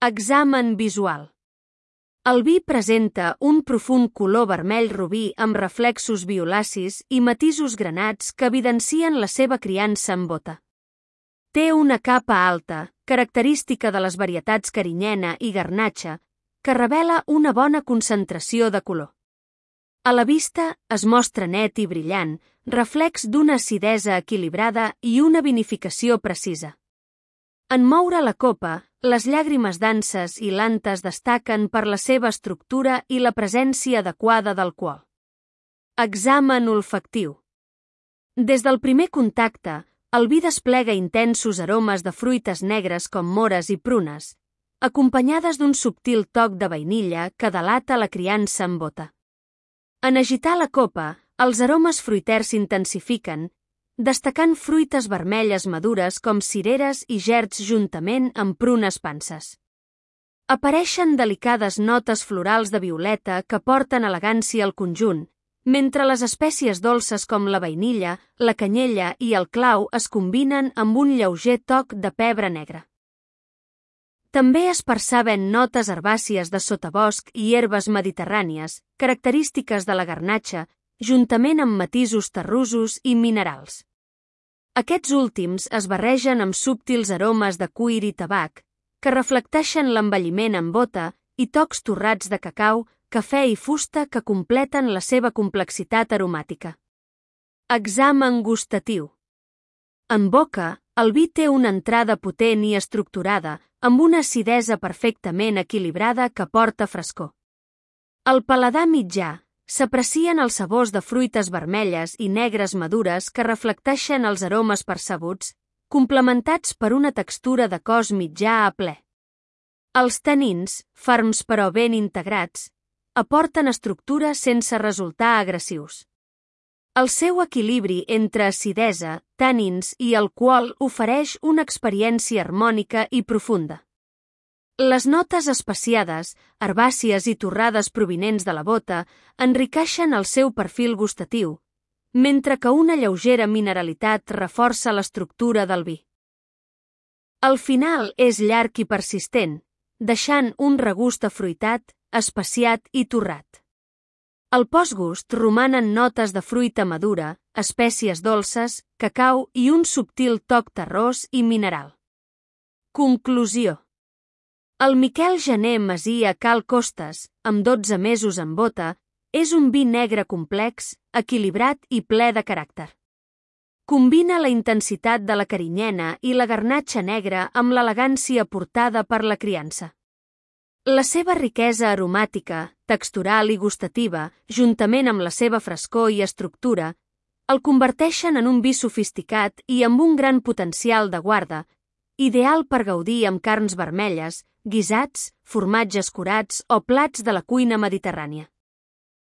Examen visual. El vi presenta un profund color vermell robí amb reflexos violacis i matisos granats que evidencien la seva criança en bota. Té una capa alta, característica de les varietats carinyena i garnatxa, que revela una bona concentració de color. A la vista es mostra net i brillant, reflex d'una acidesa equilibrada i una vinificació precisa. En moure la copa, les llàgrimes denses i lantes destaquen per la seva estructura i la presència adequada d'alcohol. Examen olfactiu. Des del primer contacte, el vi desplega intensos aromes de fruites negres com mores i prunes, acompanyades d'un subtil toc de vainilla que delata la criança en bota. En agitar la copa, els aromes fruiters s'intensifiquen, destacant fruites vermelles madures com cireres i gerds juntament amb prunes panses. Apareixen delicades notes florals de violeta que porten elegància al conjunt, mentre les espècies dolces com la vainilla, la canyella i el clau es combinen amb un lleuger toc de pebre negre. També es perceben notes herbàcies de sotabosc i herbes mediterrànies, característiques de la garnatxa, juntament amb matisos terrosos i minerals. Aquests últims es barregen amb subtils aromes de cuir i tabac, que reflecteixen l'envelliment en bota i tocs torrats de cacau, cafè i fusta que completen la seva complexitat aromàtica. Examen gustatiu. En boca, el vi té una entrada potent i estructurada, amb una acidesa perfectament equilibrada que porta frescor. Al paladar mitjà, s'aprecien els sabors de fruites vermelles i negres madures que reflecteixen els aromes percebuts, complementats per una textura de cos mitjà a ple. Els tanins, ferms però ben integrats, aporten estructura sense resultar agressius. El seu equilibri entre acidesa, tànins i alcohol ofereix una experiència harmònica i profunda. Les notes especiades, herbàcies i torrades provinents de la bota enriqueixen el seu perfil gustatiu, mentre que una lleugera mineralitat reforça l'estructura del vi. El final és llarg i persistent, deixant un regust afruitat, especiat i torrat. Al postgust romanen notes de fruita madura, espècies dolces, cacau i un subtil toc terrós i mineral. Conclusió. El Miquel Gener Masia Cal Costes, amb 12 mesos en bota, és un vi negre complex, equilibrat i ple de caràcter. Combina la intensitat de la carinyena i la garnatxa negra amb l'elegància aportada per la criança. La seva riquesa aromàtica, textural i gustativa, juntament amb la seva frescor i estructura, el converteixen en un vi sofisticat i amb un gran potencial de guarda, ideal per gaudir amb carns vermelles, guisats, formatges curats o plats de la cuina mediterrània.